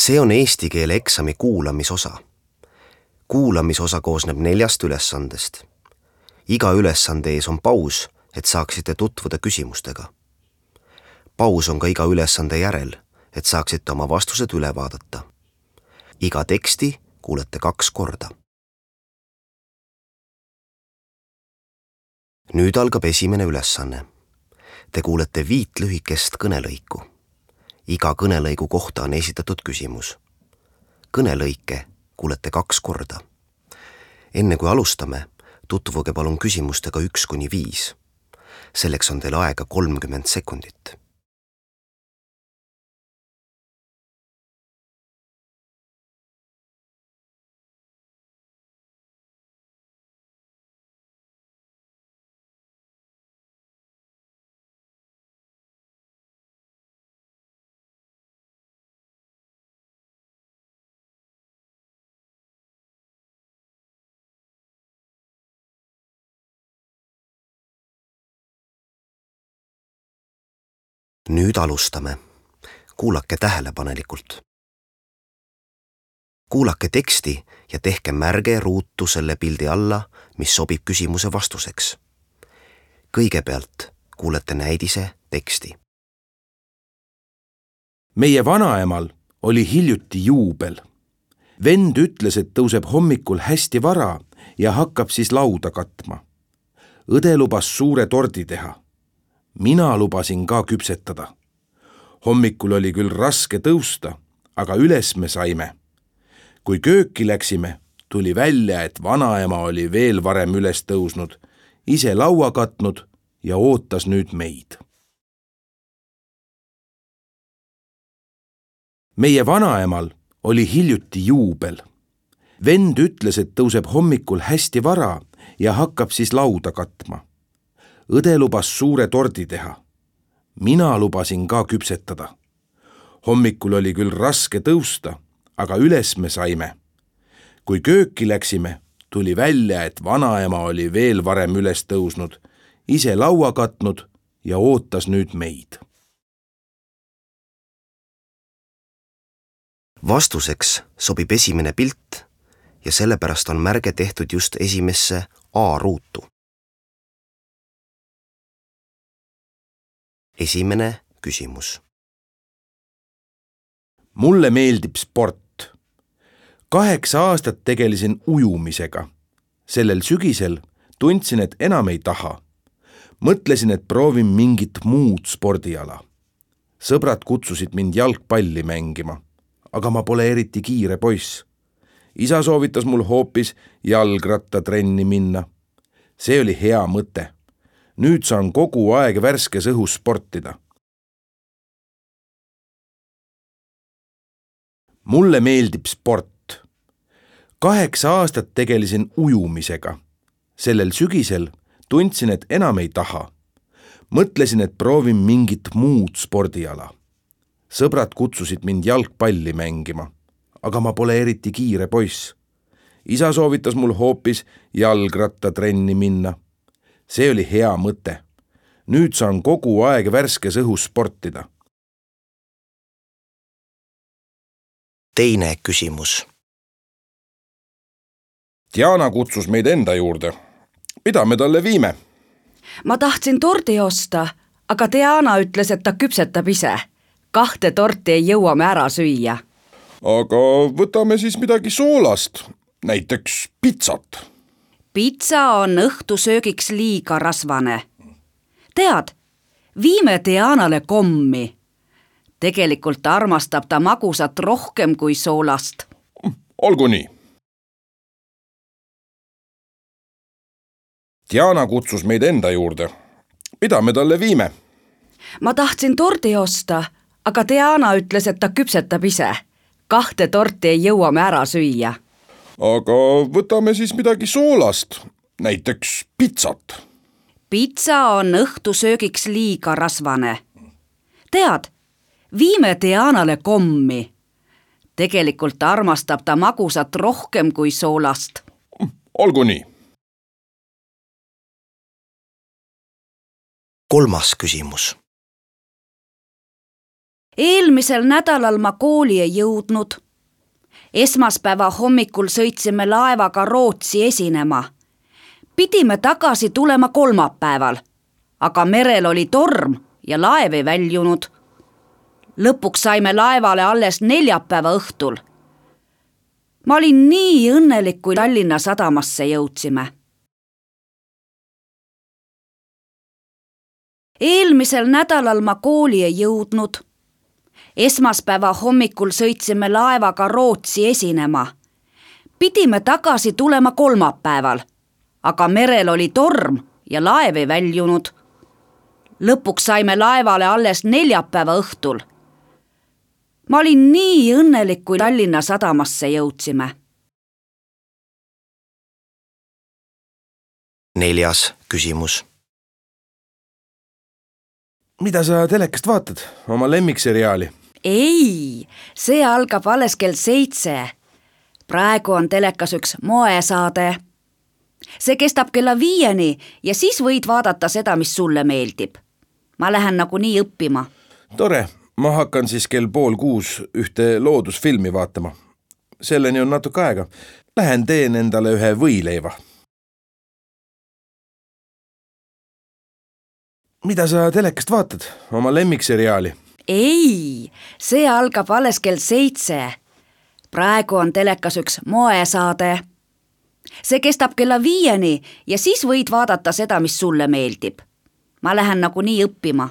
See on eesti keele eksami kuulamisosa. Kuulamisosa koosneb 4 ülesandest. Iga ülesande ees on paus, et saaksite tutvuda küsimustega. Paus on ka iga ülesande järel, et saaksite oma vastused üle vaadata. Iga teksti kuulete 2 korda. Nüüd algab esimene ülesanne. Te kuulete 5 lühikest kõnelõiku. Iga kõnelõigu kohta on esitatud küsimus. Kõnelõike kuulete 2 korda. Enne kui alustame, tutvuge palun küsimustega 1–5. Selleks on teil aega 30 sekundit. Nüüd alustame. Kuulake tähelepanelikult. Kuulake teksti ja tehke märge ruutu selle pildi alla, mis sobib küsimuse vastuseks. Kõigepealt kuulete näidise teksti. Meie vanaemal oli hiljuti juubel. Vend ütles, et tõuseb hommikul hästi vara ja hakkab siis lauda katma. Õde lubas suure tordi teha. Mina lubasin ka küpsetada. Hommikul oli küll raske tõusta, aga üles me saime. Kui kööki läksime, tuli välja, et vanaema oli veel varem üles tõusnud, ise laua katnud ja ootas nüüd meid. Meie vanaemal oli hiljuti juubel. Vend ütles, et tõuseb hommikul hästi vara ja hakkab siis lauda katma. Õde lubas suure tordi teha. Mina lubasin ka küpsetada. Hommikul oli küll raske tõusta, aga üles me saime. Kui kööki läksime, tuli välja, et vanaema oli veel varem üles tõusnud, ise laua katnud ja ootas nüüd meid. Vastuseks sobib esimene pilt ja sellepärast on märge tehtud just esimesse A-ruutu. Esimene küsimus. Mulle meeldib sport. 8 aastat tegelesin ujumisega. Sellel sügisel tundsin, et enam ei taha. Mõtlesin, et proovin mingit muud spordiala. Sõbrad kutsusid mind jalgpalli mängima, aga ma pole eriti kiire poiss. Isa soovitas mul hoopis jalgrattatrenni minna. See oli hea mõte. Nüüd saan kogu aeg värskes õhus sportida. Mulle meeldib sport. 8 aastat tegelesin ujumisega. Sellel sügisel tundsin, et enam ei taha. Mõtlesin, et proovin mingit muud spordiala. Sõbrad kutsusid mind jalgpalli mängima, aga ma pole eriti kiire poiss. Isa soovitas mul hoopis jalgrattatrenni minna. See oli hea mõte. Nüüd saan kogu aeg värskes õhus sportida. Teine küsimus. Diana kutsus meid enda juurde. Mida me talle viime? Ma tahtsin tordi osta, aga Diana ütles, et ta küpsetab ise. 2 torti ei jõua me ära süüa. Aga võtame siis midagi soolast, näiteks pitsat. Pitsa on õhtusöögiks liiga rasvane. Tead, viime Dianale kommi. Tegelikult armastab ta magusat rohkem kui soolast. Olgu nii. Diana kutsus meid enda juurde. Mida me talle viime? Ma tahtsin tordi osta, aga Diana ütles, et ta küpsetab ise. 2 torti ei jõua me ära süüa. Aga võtame siis midagi soolast, näiteks pitsat. Pitsa on õhtusöögiks liiga rasvane. Tead, viime Dianale kommi. Tegelikult armastab ta magusat rohkem kui soolast. Olgu nii. Kolmas küsimus. Eelmisel nädalal ma kooli ei jõudnud. Esmaspäeva hommikul sõitsime laevaga Rootsi esinema. Pidime tagasi tulema kolmapäeval, aga merel oli torm ja laev ei väljunud. Lõpuks saime laevale alles neljapäeva õhtul. Ma olin nii õnnelik, kui Tallinna sadamasse jõudsime. Eelmisel nädalal ma kooli ei jõudnud. Esmaspäeva hommikul sõitsime laevaga Rootsi esinema. Pidime tagasi tulema kolmapäeval, aga merel oli torm ja laev ei väljunud. Lõpuks saime laevale alles neljapäeva õhtul. Ma olin nii õnnelik, kui Tallinna sadamasse jõudsime. 4. küsimus. Mida sa telekast vaatad? Oma lemmikseriaali? Ei, see algab alles kell 7. Praegu on telekas üks moesaade. See kestab kella 5 ja siis võid vaadata seda, mis sulle meeldib. Ma lähen nagunii õppima. Tore, ma hakkan siis kell 5:30 ühte loodusfilmi vaatama. Selleni on natuke aega. Lähen teen endale ühe võileiva. Mida sa telekast vaatad? Oma lemmikseriaali? Ei, see algab alles kell 7. Praegu on telekas üks moesaade. See kestab kella 5 ja siis võid vaadata seda, mis sulle meeldib. Ma lähen nagunii õppima.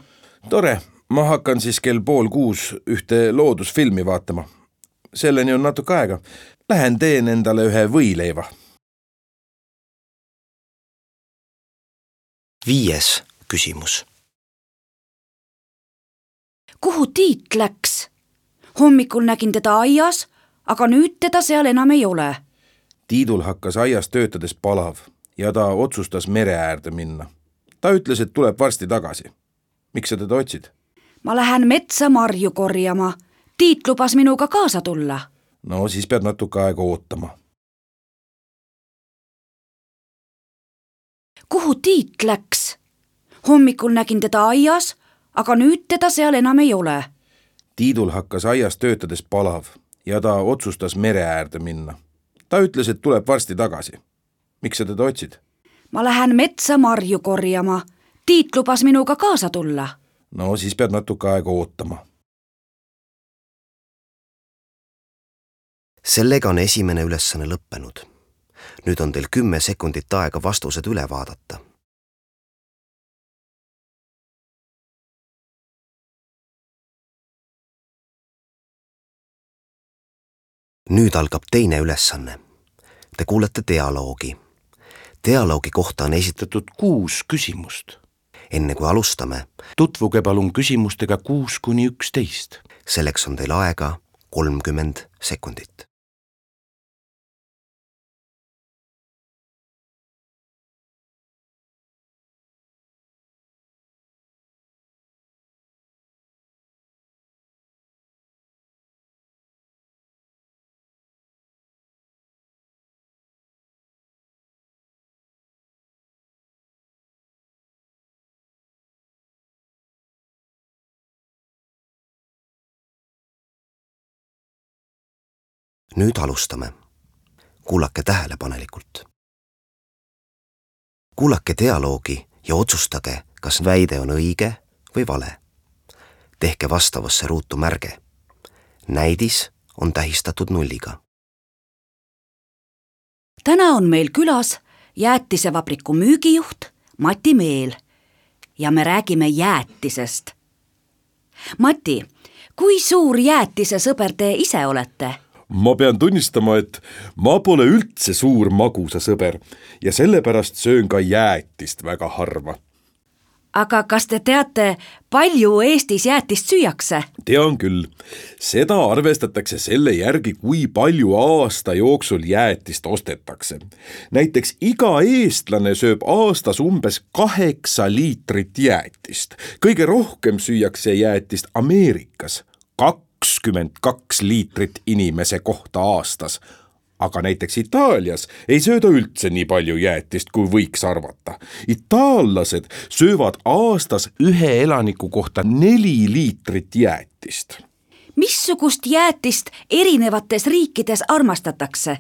Tore, ma hakkan siis kell 5:30 ühte loodusfilmi vaatama. Selleni on natuke aega. Lähen teen endale ühe võileiva. 5. küsimus. Kuhu Tiit läks? Hommikul nägin teda aias, aga nüüd teda seal enam ei ole. Tiidul hakkas aias töötades palav ja ta otsustas mere äärde minna. Ta ütles, et tuleb varsti tagasi. Miks sa teda otsid? Ma lähen metsa marju korjama. Tiit lubas minuga kaasa tulla. No siis pead natuke aega ootama. Kuhu Tiit läks? Hommikul nägin teda aias, aga nüüd teda seal enam ei ole. Tiidul hakkas aias töötades palav ja ta otsustas mere äärde minna. Ta ütles, et tuleb varsti tagasi. Miks sa teda otsid? Ma lähen metsa marju korjama. Tiit lubas minuga kaasa tulla. No siis pead natuke aega ootama. Sellega on esimene ülesanne lõppenud. Nüüd on teil 10 sekundit aega vastused üle vaadata. Nüüd algab teine ülesanne. Te kuulete dialoogi. Dialoogi kohta on esitatud 6 küsimust. Enne kui alustame, Tutvuge palun küsimustega 6–11. Selleks on teil aega 30 sekundit. Nüüd alustame. Kuulake tähelepanelikult. Kuulake dialoogi ja otsustage, kas väide on õige või vale. Tehke vastavasse ruutu märge. Näidis on tähistatud 0. Täna on meil külas jäätisevabriku müügijuht Mati Meel ja me räägime jäätisest. Mati, kui suur jäätisesõber te ise olete? Ma pean tunnistama, et ma pole üldse suur magusasõber ja sellepärast söön ka jäätist väga harva. Aga kas te teate, palju Eestis jäätist süüakse? Tean küll. Seda arvestatakse selle järgi, kui palju aasta jooksul jäätist ostetakse. Näiteks iga eestlane sööb aastas umbes 8 liitrit jäätist. Kõige rohkem süüakse jäätist Ameerikas. 22 liitrit inimese kohta aastas. aga näiteks Itaalias ei sööda üldse nii palju jäätist, kui võiks arvata. Itaallased söövad aastas ühe elaniku kohta 4 liitrit jäätist. Missugust jäätist erinevates riikides armastatakse?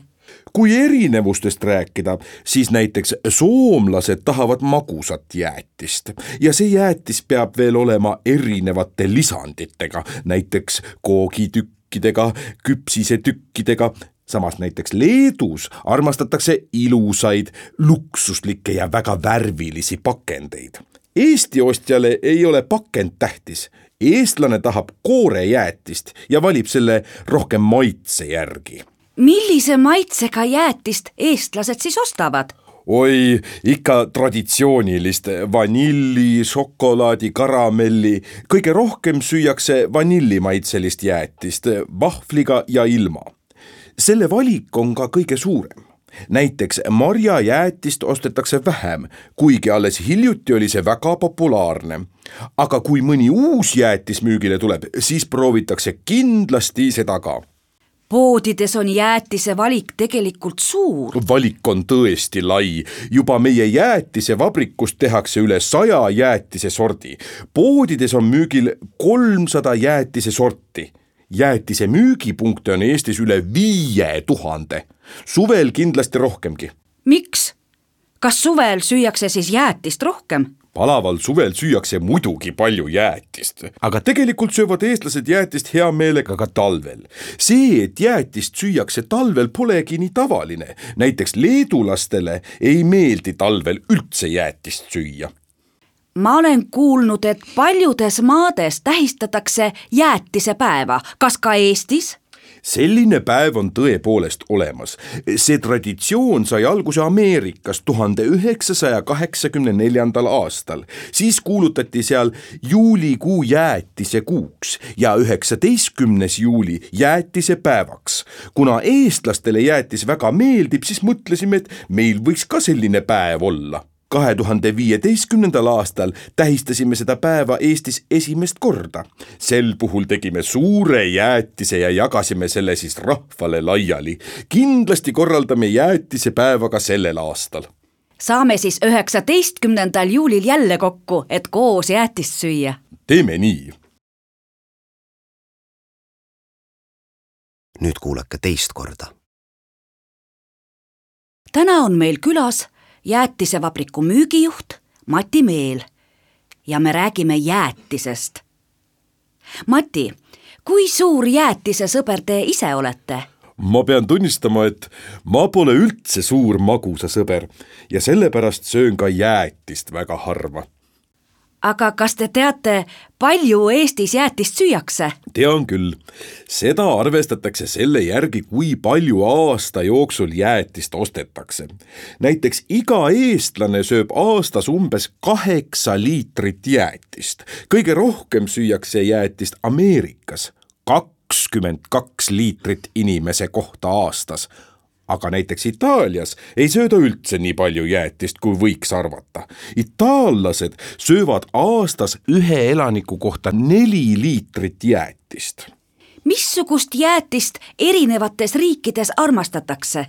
Kui erinevustest rääkida, siis näiteks soomlased tahavad magusat jäätist ja see jäätis peab veel olema erinevate lisanditega, näiteks koogitükkidega, küpsisetükkidega. Samas näiteks Leedus armastatakse ilusaid, luksuslikke ja väga värvilisi pakendeid. Eesti ostjale ei ole pakend tähtis. Eestlane tahab koorejäätist ja valib selle rohkem maitse järgi. Millise maitsega jäätist eestlased siis ostavad? Oi, ikka traditsioonilist vanilli, šokolaadi, karamelli. Kõige rohkem süüakse vanillimaitselist jäätist vahvliga ja ilma. Selle valik on ka kõige suurem. Näiteks marjajäätist ostetakse vähem, kuigi alles hiljuti oli see väga populaarne. Aga kui mõni uus jäätis müügile tuleb, siis proovitakse kindlasti seda ka. Poodides on jäätise valik tegelikult suur. Valik on tõesti lai. Juba meie jäätisevabrikust tehakse üle 100 jäätise sordi. Poodides on müügil 300 jäätise sorti. Jäätise müügipunkte on Eestis üle 5000. Suvel kindlasti rohkemgi. Miks? Kas suvel süüakse siis jäätist rohkem? Palaval suvel süüakse muidugi palju jäätist, aga tegelikult söövad eestlased jäätist hea meelega ka talvel. See, et jäätist süüakse talvel, polegi nii tavaline. Näiteks leedulastele ei meeldi talvel üldse jäätist süüa. Ma olen kuulnud, et paljudes maades tähistatakse jäätisepäeva. Kas ka Eestis? Selline päev on tõepoolest olemas. See traditsioon sai alguse Ameerikas 1984. aastal. Siis kuulutati seal juulikuu jäätise kuuks ja 19. juuli jäätisepäevaks. Kuna eestlastele jäätis väga meeldib, siis mõtlesime, et meil võiks ka selline päev olla. 2015. aastal tähistasime seda päeva Eestis esimest korda. Sel puhul tegime suure jäätise ja jagasime selle siis rahvale laiali. Kindlasti korraldame jäätisepäeva ka sellel aastal. Saame siis 19. juulil jälle kokku, et koos jäätist süüa. Teeme nii. Nüüd kuulake teist korda. Täna on meil külas jäätisevabriku müügijuht Mati Meel ja me räägime jäätisest. Mati, kui suur jäätisesõber te ise olete? Ma pean tunnistama, et ma pole üldse suur magusasõber ja sellepärast söön ka jäätist väga harva. Aga kas te teate, palju Eestis jäätist süüakse? Tean küll. Seda arvestatakse selle järgi, kui palju aasta jooksul jäätist ostetakse. Näiteks iga eestlane sööb aastas umbes 8 liitrit jäätist. Kõige rohkem süüakse jäätist Ameerikas, 22 liitrit inimese kohta aastas. Aga näiteks Itaalias ei sööda üldse nii palju jäätist, kui võiks arvata. Itaallased söövad aastas ühe elaniku kohta 4 liitrit jäätist. Missugust jäätist erinevates riikides armastatakse?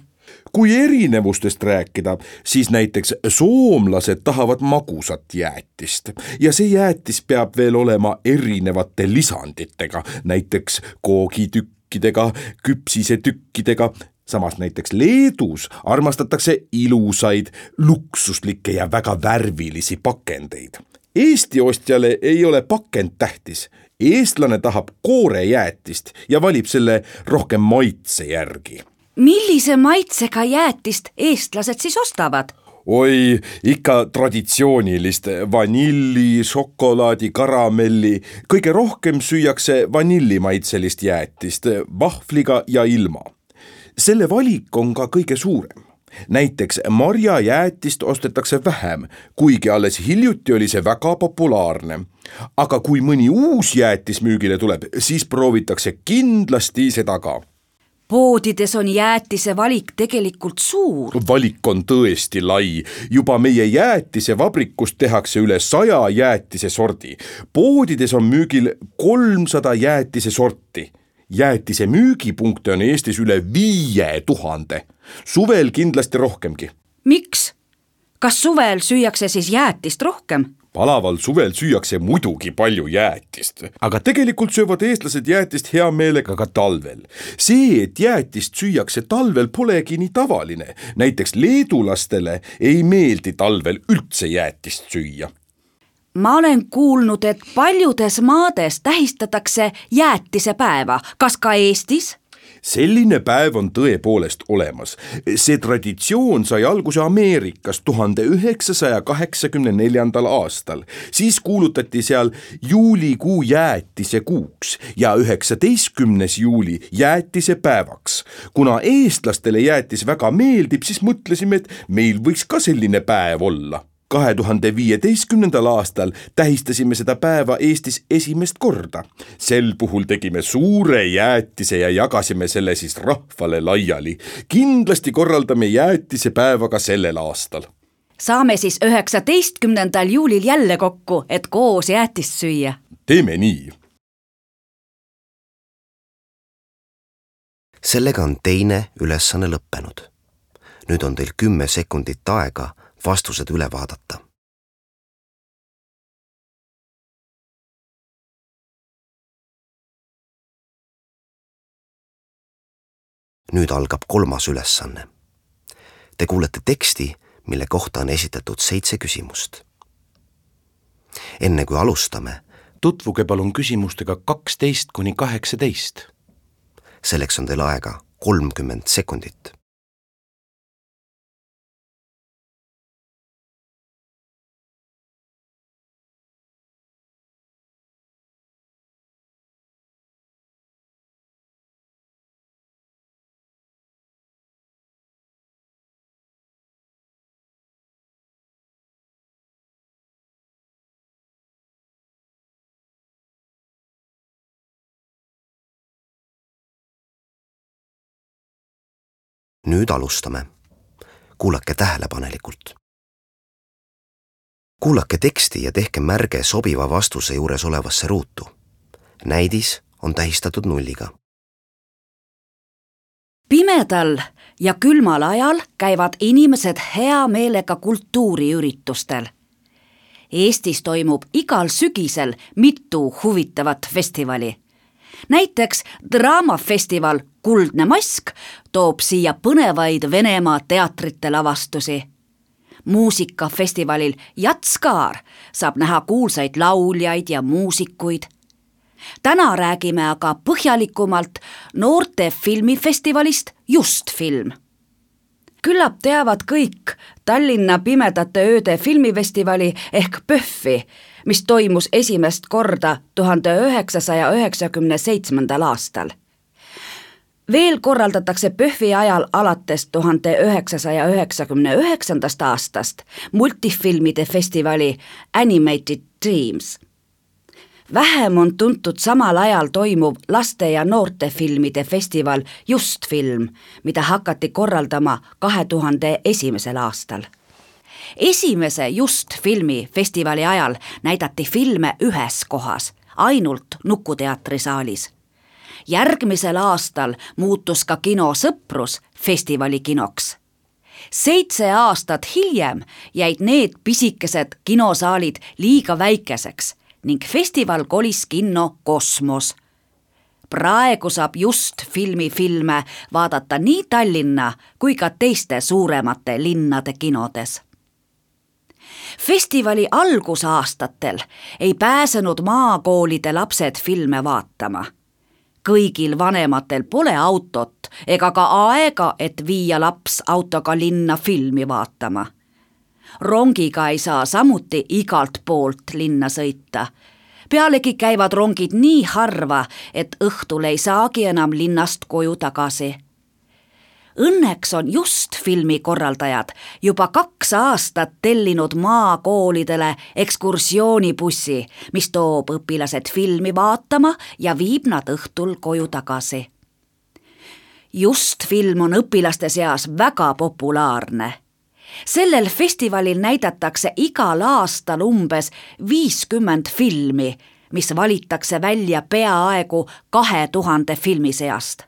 Kui erinevustest rääkida, siis näiteks soomlased tahavad magusat jäätist ja see jäätis peab veel olema erinevate lisanditega, näiteks koogitükkidega, küpsisetükkidega. Samas näiteks Leedus armastatakse ilusaid, luksuslikke ja väga värvilisi pakendeid. Eesti ostjale ei ole pakend tähtis. Eestlane tahab koorejäätist ja valib selle rohkem maitse järgi. Millise maitsega jäätist eestlased siis ostavad? Oi, ikka traditsioonilist vanilli, šokolaadi, karamelli. Kõige rohkem süüakse vanillimaitselist jäätist vahvliga ja ilma. Selle valik on ka kõige suurem. Näiteks marjajäätist ostetakse vähem, kuigi alles hiljuti oli see väga populaarne. Aga kui mõni uus jäätis müügile tuleb, siis proovitakse kindlasti seda ka. Poodides on jäätise valik tegelikult suur. Valik on tõesti lai. Juba meie jäätisevabrikust tehakse üle 100 jäätise sordi. Poodides on müügil 300 jäätise sorti. Jäätise müügipunkte on Eestis üle 5000. Suvel kindlasti rohkemgi. Miks? Kas suvel süüakse siis jäätist rohkem? Palaval suvel süüakse muidugi palju jäätist, aga tegelikult söövad eestlased jäätist hea meelega ka talvel. See, et jäätist süüakse talvel, polegi nii tavaline. Näiteks leedulastele ei meeldi talvel üldse jäätist süüa. Ma olen kuulnud, et paljudes maades tähistatakse jäätisepäeva. Kas ka Eestis? Selline päev on tõepoolest olemas. See traditsioon sai alguse Ameerikas 1984. aastal. Siis kuulutati seal juulikuu jäätise kuuks ja 19. juuli jäätise päevaks. Kuna eestlastele jäätis väga meeldib, siis mõtlesime, et meil võiks ka selline päev olla. 2015. aastal tähistasime seda päeva Eestis esimest korda. Sel puhul tegime suure jäätise ja jagasime selle siis rahvale laiali. Kindlasti korraldame jäätisepäeva ka sellel aastal. Saame siis 19. juulil jälle kokku, et koos jäätist süüa. Teeme nii. Sellega on teine ülesanne lõppenud. Nüüd on teil 10 sekundit aega vastused üle vaadata. Nüüd algab 3. ülesanne. Te kuulete teksti, mille kohta on esitatud 7 küsimust. Enne kui alustame, Tutvuge palun küsimustega 12–18. Selleks on teil aega 30 sekundit. Nüüd alustame. Kuulake tähelepanelikult. Kuulake teksti ja tehke märge sobiva vastuse juures olevasse ruutu. Näidis on tähistatud nulliga. Pimedal ja külmal ajal käivad inimesed hea meelega kultuuriüritustel. Eestis toimub igal sügisel mitu huvitavat festivali. Näiteks draamafestival Kuldne mask toob siia põnevaid Venemaa teatrite lavastusi. Muusikafestivalil Jatskaar saab näha kuulsaid lauljaid ja muusikuid. Täna räägime aga põhjalikumalt noorte filmifestivalist Just film. Küllap teavad kõik Tallinna Pimedate ööde filmifestivali ehk PÖFFi, mis toimus esimest korda 1997. aastal. Veel korraldatakse PÖFFi ajal alates 1999. aastast multifilmide festivali Animated Dreams. Vähem on tuntud samal ajal toimuv laste- ja noortefilmide festival Just film, mida hakati korraldama 2001. aastal. Esimese Just filmi festivali ajal näidati filme ühes kohas, ainult Nukuteatrisaalis. Järgmisel aastal muutus ka kino Sõprus festivali kinoks. 7 aastat hiljem jäid need pisikesed kinosaalid liiga väikeseks ning festival kolis kinno Kosmos. Praegu saab Just filmi filme vaadata nii Tallinna kui ka teiste suuremate linnade kinodes. Festivali algusaastatel ei pääsenud maakoolide lapsed filme vaatama. Kõigil vanematel pole autot ega ka aega, et viia laps autoga linna filmi vaatama. Rongiga ei saa samuti igalt poolt linna sõita. Pealegi käivad rongid nii harva, et õhtul ei saagi enam linnast koju tagasi. Õnneks on Just filmi korraldajad juba 2 aastat tellinud maakoolidele ekskursioonibussi, mis toob õpilased filmi vaatama ja viib nad õhtul koju tagasi. Just film on õpilaste seas väga populaarne. Sellel festivalil näidatakse igal aastal umbes 50 filmi, mis valitakse välja peaaegu 2000 filmi seast.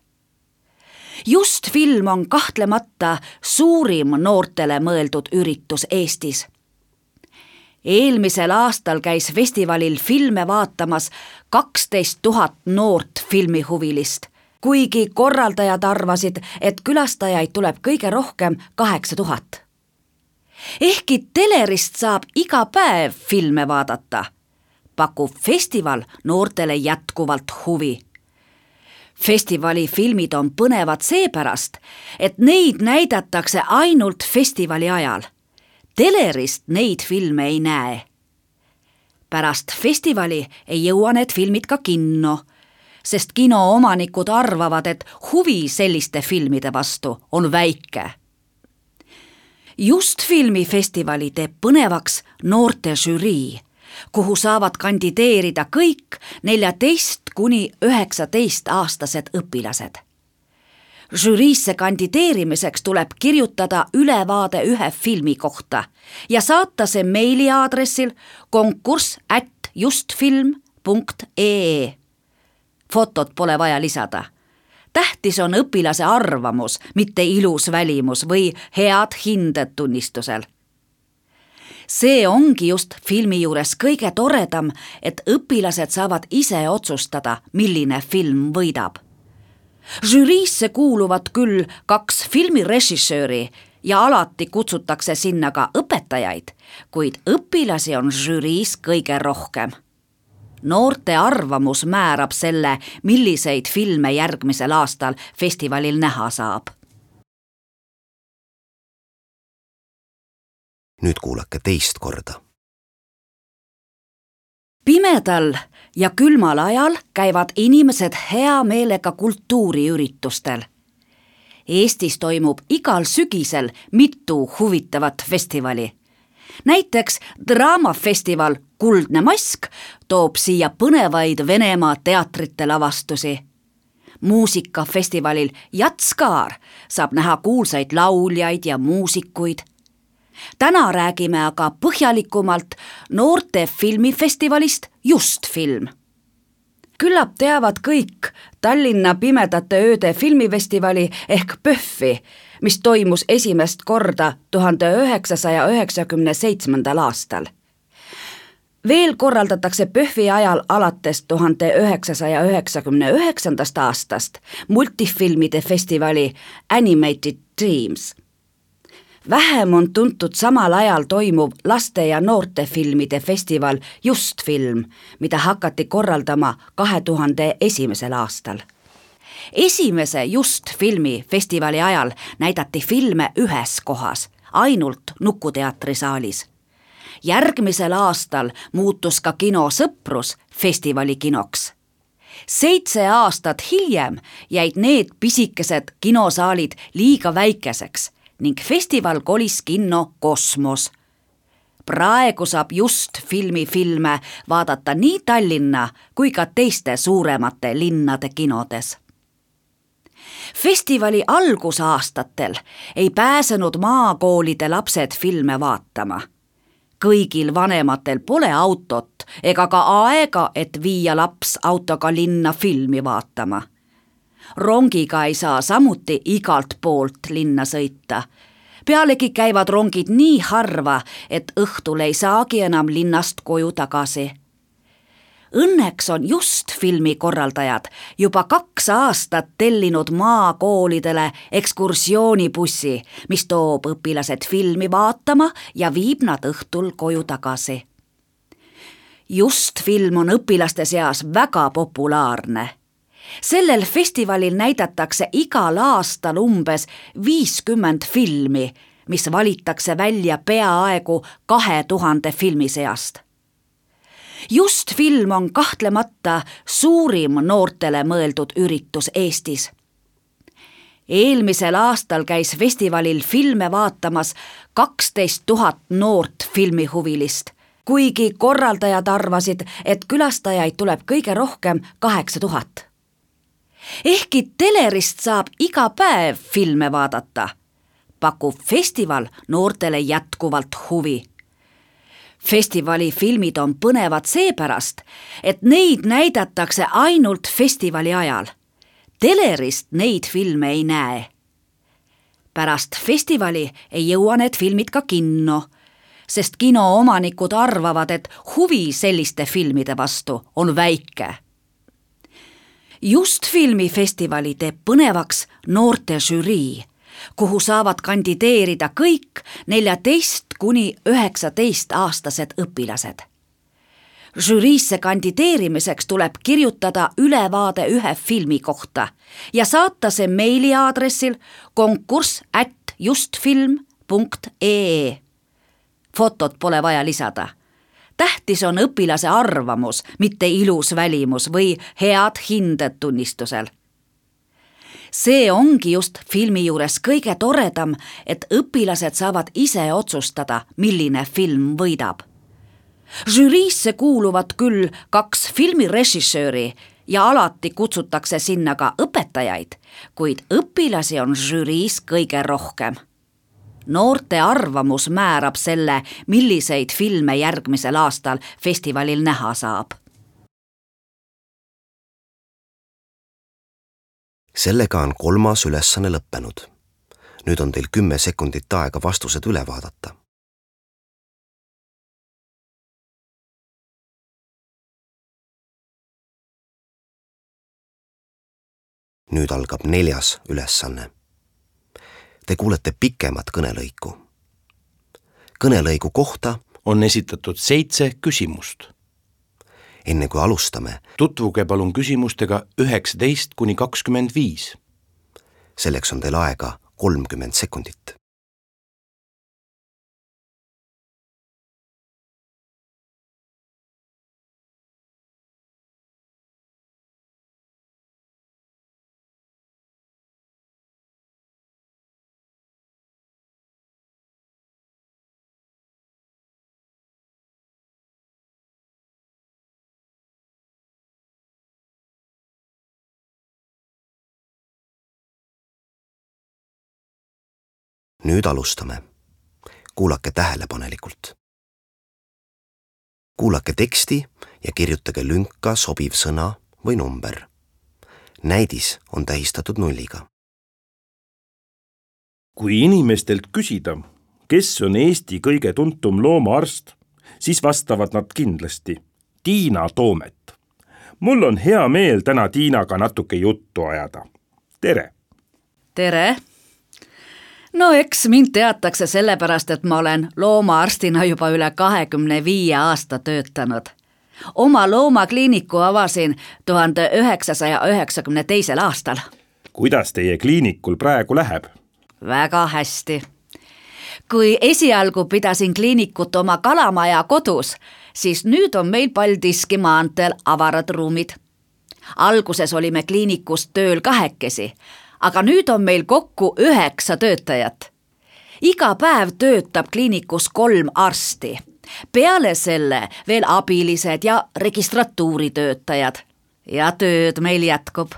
Just film on kahtlemata suurim noortele mõeldud üritus Eestis. Eelmisel aastal käis festivalil filme vaatamas 12 000 noort filmihuvilist, kuigi korraldajad arvasid, et külastajaid tuleb kõige rohkem 8000. Ehkki telerist saab iga päev filme vaadata, pakub festival noortele jätkuvalt huvi. Festivali filmid on põnevad seepärast, et neid näidatakse ainult festivali ajal. Telerist neid filme ei näe. Pärast festivali ei jõua need filmid ka kinno, sest kinoomanikud arvavad, et huvi selliste filmide vastu on väike. Just filmifestivali teeb põnevaks noorte žürii, kuhu saavad kandideerida kõik 14–19-aastased õpilased. Žüriisse kandideerimiseks tuleb kirjutada ülevaade ühe filmi kohta ja saata see meiliaadressil konkurss@justfilm.ee. Fotot pole vaja lisada. Tähtis on õpilase arvamus, mitte ilus välimus või head hinded tunnistusel. See ongi just filmi juures kõige toredam, et õpilased saavad ise otsustada, milline film võidab. Žüriisse kuuluvad küll 2 filmirežissööri ja alati kutsutakse sinna ka õpetajaid, kuid õpilasi on žüriis kõige rohkem. Noorte arvamus määrab selle, milliseid filme järgmisel aastal festivalil näha saab. Nüüd kuulake teist korda. Pimedal ja külmal ajal käivad inimesed hea meelega kultuuriüritustel. Eestis toimub igal sügisel mitu huvitavat festivali. Näiteks draamafestival Kuldne mask toob siia põnevaid Venemaa teatrite lavastusi. Muusikafestivalil Jatskaar saab näha kuulsaid lauljaid ja muusikuid. Täna räägime aga põhjalikumalt noorte filmifestivalist Just film. Küllap teavad kõik Tallinna Pimedate ööde filmifestivali ehk PÖFFi, mis toimus esimest korda 1997. aastal. Veel korraldatakse PÖFFi ajal alates 1999. aastast multifilmide festivali Animated Dreams. Vähem on tuntud samal ajal toimuv laste- ja noortefilmide festival Just film, mida hakati korraldama 2001. aastal. Esimese Just filmi festivali ajal näidati filme ühes kohas, ainult Nukuteatri saalis. Järgmisel aastal muutus ka kino Sõprus festivali kinoks. 7 aastat hiljem jäid need pisikesed kinosaalid liiga väikeseks ning festival kolis kinno Kosmos. Praegu saab Just filmi filme vaadata nii Tallinna kui ka teiste suuremate linnade kinodes. Festivali algusaastatel ei pääsenud maakoolide lapsed filme vaatama. Kõigil vanematel pole autot ega ka aega, et viia laps autoga linna filmi vaatama. Rongiga ei saa samuti igalt poolt linna sõita. Pealegi käivad rongid nii harva, et õhtul ei saagi enam linnast koju tagasi. Õnneks on Just filmi korraldajad juba 2 aastat tellinud maakoolidele ekskursioonibussi, mis toob õpilased filmi vaatama ja viib nad õhtul koju tagasi. Just film on õpilaste seas väga populaarne. Sellel festivalil näidatakse igal aastal umbes 50 filmi, mis valitakse välja peaaegu 2000 filmi seast. Just film on kahtlemata suurim noortele mõeldud üritus Eestis. Eelmisel aastal käis festivalil filme vaatamas 12 000 noort filmihuvilist, kuigi korraldajad arvasid, et külastajaid tuleb kõige rohkem 8000. Ehkki telerist saab iga päev filme vaadata, pakub festival noortele jätkuvalt huvi. Festivali filmid on põnevad seepärast, et neid näidatakse ainult festivali ajal. Telerist neid filme ei näe. Pärast festivali ei jõua need filmid ka kinno, sest kinoomanikud arvavad, et huvi selliste filmide vastu on väike. Just filmifestivali teeb põnevaks noorte žürii, kuhu saavad kandideerida kõik 14–19-aastased õpilased. Žüriisse kandideerimiseks tuleb kirjutada ülevaade ühe filmi kohta ja saata see meiliaadressil konkurss@justfilm.ee. Fotot pole vaja lisada. Tähtis on õpilase arvamus, mitte ilus välimus või head hinded tunnistusel. See ongi just filmi juures kõige toredam, et õpilased saavad ise otsustada, milline film võidab. Žüriisse kuuluvad küll 2 filmirežissööri ja alati kutsutakse sinna ka õpetajaid, kuid õpilasi on žüriis kõige rohkem. Noorte arvamus määrab selle, milliseid filme järgmisel aastal festivalil näha saab. Sellega on 3. ülesanne lõppenud. Nüüd on teil 10 sekundit aega vastused üle vaadata. Nüüd algab 4. ülesanne. Te kuulete pikemat kõnelõiku. Kõnelõigu kohta on esitatud 7 küsimust. Enne kui alustame, Tutvuge palun küsimustega 19–25. selleks on teil aega 30 sekundit. Nüüd alustame. Kuulake tähelepanelikult. Kuulake teksti ja kirjutage lünka sobiv sõna või number. Näidis on tähistatud 0. Kui inimestelt küsida, kes on Eesti kõige tuntum loomaarst, siis vastavad nad kindlasti Tiina Toomet. Mul on hea meel täna Tiinaga natuke juttu ajada. Tere! Tere! No eks mind teatakse sellepärast, et ma olen loomaarstina juba üle 25 aasta töötanud. Oma loomakliiniku avasin 1992. aastal. Kuidas teie kliinikul praegu läheb? Väga hästi. Kui esialgu pidasin kliinikut oma kalamaja kodus, siis nüüd on meil Paldiski maanteel avarad ruumid. Alguses olime kliinikus tööl 2, aga nüüd on meil kokku 9 töötajat. Iga päev töötab kliinikus 3 arsti. Peale selle veel abilised ja registratuuritöötajad. Ja tööd meil jätkub.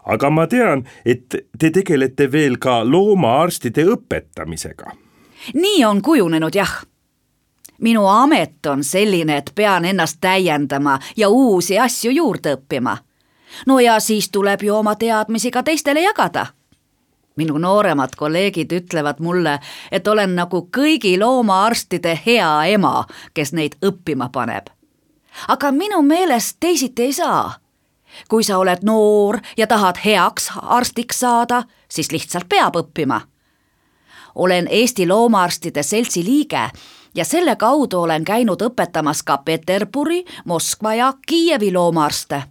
Aga ma tean, et te tegelete veel ka loomaarstide õpetamisega. Nii on kujunenud, jah. Minu amet on selline, et pean ennast täiendama ja uusi asju juurde õppima. No ja siis tuleb ju oma teadmisi ka teistele jagada. Minu nooremad kolleegid ütlevad mulle, et olen nagu kõigi loomaarstide hea ema, kes neid õppima paneb. Aga minu meelest teisiti ei saa. Kui sa oled noor ja tahad heaks arstiks saada, siis lihtsalt peab õppima. Olen Eesti Loomaarstide Seltsi liige ja selle kaudu olen käinud õpetamas ka Peterburi, Moskva ja Kiievi loomaarste.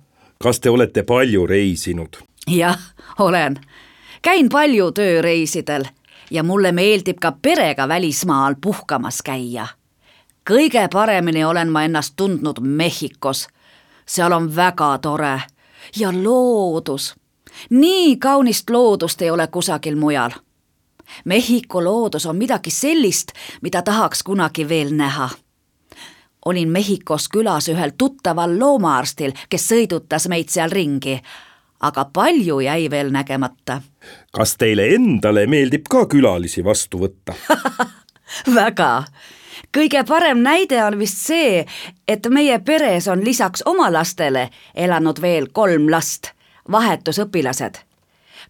Kas te olete palju reisinud? Jah, olen. Käin palju tööreisidel ja mulle meeldib ka perega välismaal puhkamas käia. Kõige paremini olen ma ennast tundnud Mehhikos. Seal on väga tore ja loodus. Nii kaunist loodust ei ole kusagil mujal. Mehhiko loodus on midagi sellist, mida tahaks kunagi veel näha. Olin Mehhikos külas ühel tuttaval loomaarstil, kes sõidutas meid seal ringi, aga palju jäi veel nägemata. Kas teile endale meeldib ka külalisi vastu võtta? Väga. kõige parem näide on vist see, et meie peres on lisaks oma lastele elanud veel 3 last, vahetusõpilased.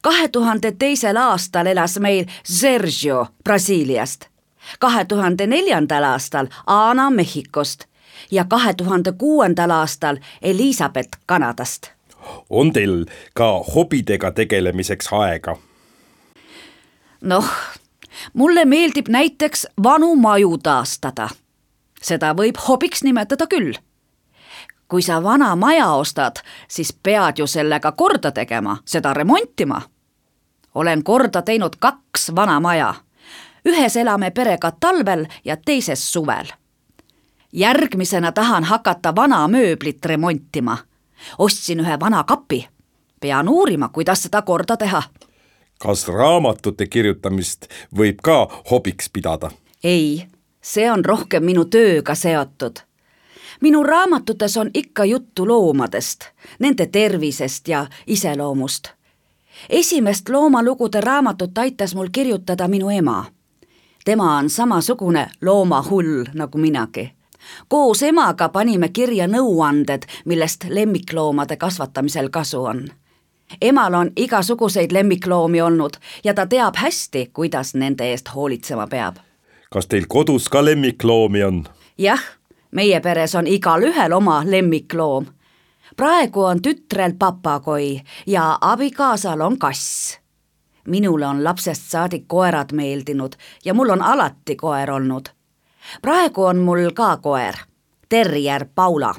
2002. aastal elas meil Sergio Brasiiliast, 2004. aastal Ana Mehhikost ja 2006. aastal Elizabeth Kanadast. On teil ka hobidega tegelemiseks aega? Noh, mulle meeldib näiteks vanu maju taastada. Seda võib hobiks nimetada küll. Kui sa vana maja ostad, siis pead ju sellega korda tegema, seda remontima. Olen korda teinud 2 vana maja. Ühes elame perega talvel ja teises suvel. Järgmisena tahan hakata vana mööblit remontima. Ostsin ühe vana kapi. Pean uurima, kuidas seda korda teha. Kas raamatute kirjutamist võib ka hobiks pidada? Ei, see on rohkem minu tööga seotud. Minu raamatutes on ikka juttu loomadest, nende tervisest ja iseloomust. Esimest loomalugude raamatut aitas mul kirjutada minu ema. Tema on samasugune loomahull nagu minagi. Koos emaga panime kirja nõuanded, millest lemmikloomade kasvatamisel kasu on. Emal on igasuguseid lemmikloomi olnud ja ta teab hästi, kuidas nende eest hoolitsema peab. Kas teil kodus ka lemmikloomi on? Jah, meie peres on igal ühel oma lemmikloom. Praegu on tütrel papagoi ja abikaasal on kass. Minule on lapsest saadik koerad meeldinud ja mul on alati koer olnud. Praegu on mul ka koer, terrier Paula.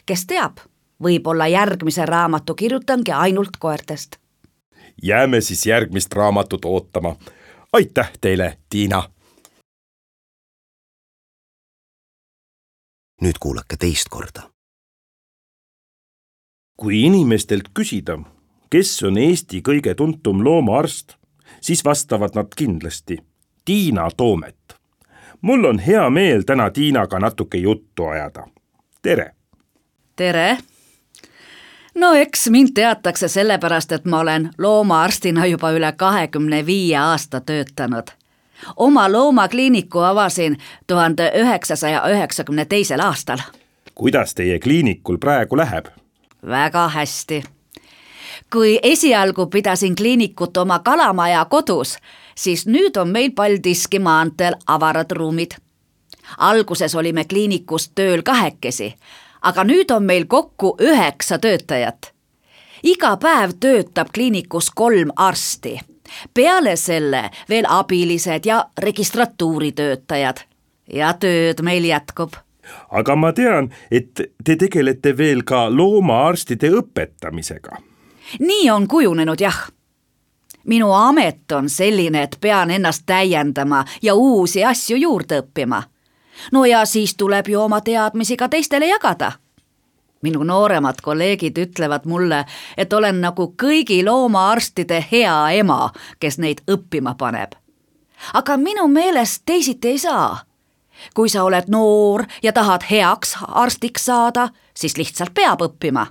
Kes teab, võib-olla järgmise raamatu kirjutangi ainult koertest. Jääme siis järgmist raamatut ootama. Aitäh teile, Tiina! Nüüd kuulake teist korda. Kui inimestelt küsida, kes on Eesti kõige tuntum loomaarst, siis vastavad nad kindlasti Tiina Toomet. Mul on hea meel täna Tiinaga natuke juttu ajada. Tere! Tere! No eks mind teatakse sellepärast, et ma olen loomaarstina juba üle 25 aasta töötanud. Oma loomakliiniku avasin 1992. aastal. Kuidas teie kliinikul praegu läheb? Väga hästi. Kui esialgu pidasin kliinikut oma kalamaja kodus, siis nüüd on meil Paldiski maanteel avarad ruumid. Alguses olime kliinikus tööl 2, aga nüüd on meil kokku 9 töötajat. Iga päev töötab kliinikus 3 arsti. Peale selle veel abilised ja registratuuritöötajad. Ja tööd meil jätkub. Aga ma tean, et te tegelete veel ka loomaarstide õpetamisega. Nii on kujunenud, jah. Minu amet on selline, et pean ennast täiendama ja uusi asju juurde õppima. No ja siis tuleb ju oma teadmisi ka teistele jagada. Minu nooremad kolleegid ütlevad mulle, et olen nagu kõigi loomaarstide hea ema, kes neid õppima paneb. Aga minu meelest teisiti ei saa. Kui sa oled noor ja tahad heaks arstiks saada, siis lihtsalt peab õppima.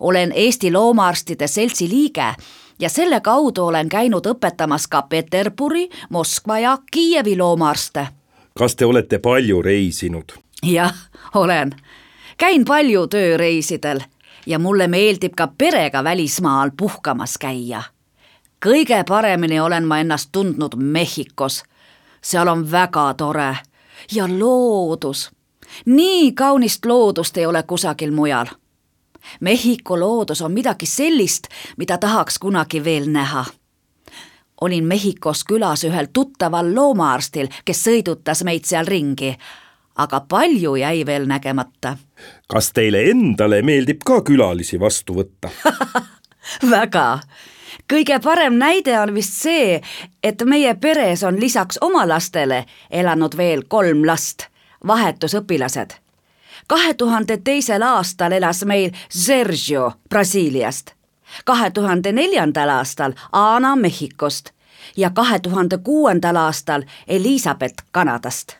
Olen Eesti Loomaarstide Seltsi liige ja selle kaudu olen käinud õpetamas ka Peterburi, Moskva ja Kiievi loomaarste. Kas te olete palju reisinud? Jah, olen. Käin palju tööreisidel ja mulle meeldib ka perega välismaal puhkamas käia. Kõige paremini olen ma ennast tundnud Mehhikos. Seal on väga tore ja loodus. Nii kaunist loodust ei ole kusagil mujal. Mehhiko loodus on midagi sellist, mida tahaks kunagi veel näha. Olin Mehhikos külas ühel tuttaval loomaarstil, kes sõidutas meid seal ringi, aga palju jäi veel nägemata. Kas teile endale meeldib ka külalisi vastu võtta? Väga. Kõige parem näide on vist see, et meie peres on lisaks oma lastele elanud veel 3 last, vahetusõpilased. 2002. aastal elas meil Sergio Brasiiliast, 2004. aastal Ana Mehhikost ja 2006. aastal Elizabeth Kanadast.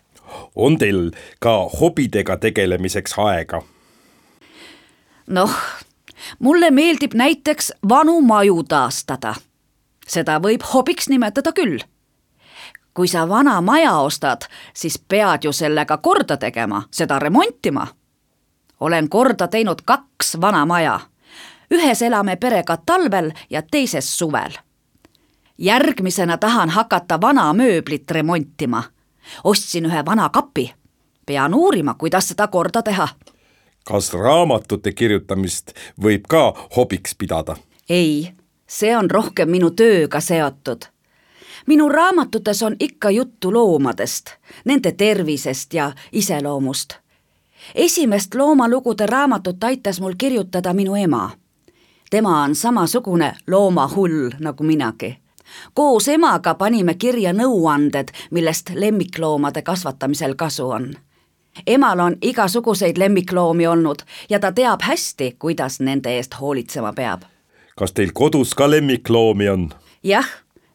On teil ka hobidega tegelemiseks aega? Noh, mulle meeldib näiteks vanu maju taastada. Seda võib hobiks nimetada küll. kui sa vana maja ostad, siis pead ju sellega korda tegema, seda remontima. Olen korda teinud 2 vana maja. Ühes elame perega talvel ja teises suvel. Järgmisena tahan hakata vana mööblit remontima. Ostsin ühe vana kapi. Pean uurima, kuidas seda korda teha. Kas raamatute kirjutamist võib ka hobiks pidada? Ei, see on rohkem minu tööga seotud. Minu raamatutes on ikka juttu loomadest, nende tervisest ja iseloomust. Esimest loomalugude raamatut aitas mul kirjutada minu ema. Tema on samasugune loomahull nagu minagi. Koos emaga panime kirja nõuanded, millest lemmikloomade kasvatamisel kasu on. Emal on igasuguseid lemmikloomi olnud ja ta teab hästi, kuidas nende eest hoolitsema peab. Kas teil kodus ka lemmikloomi on? Jah,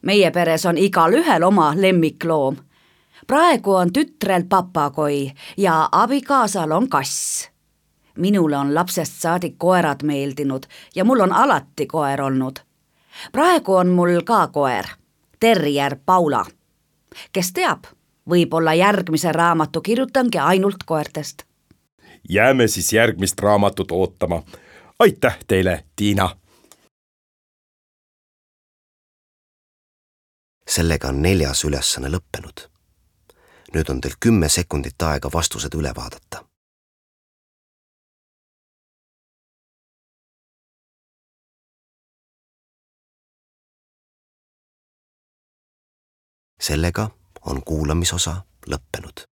meie peres on igal ühel oma lemmikloom. Praegu on tütrel papagoi ja abikaasal on kass. Minule on lapsest saadik koerad meeldinud ja mul on alati koer olnud. Praegu on mul ka koer, terrier Paula. Kes teab, võib-olla järgmise raamatu kirjutangi ainult koertest. Jääme siis järgmist raamatut ootama. Aitäh teile, Tiina! Sellega on 4. ülesanne lõppenud. Nüüd on teil 10 sekundit aega vastused üle vaadata. Sellega on kuulamisosa lõppenud.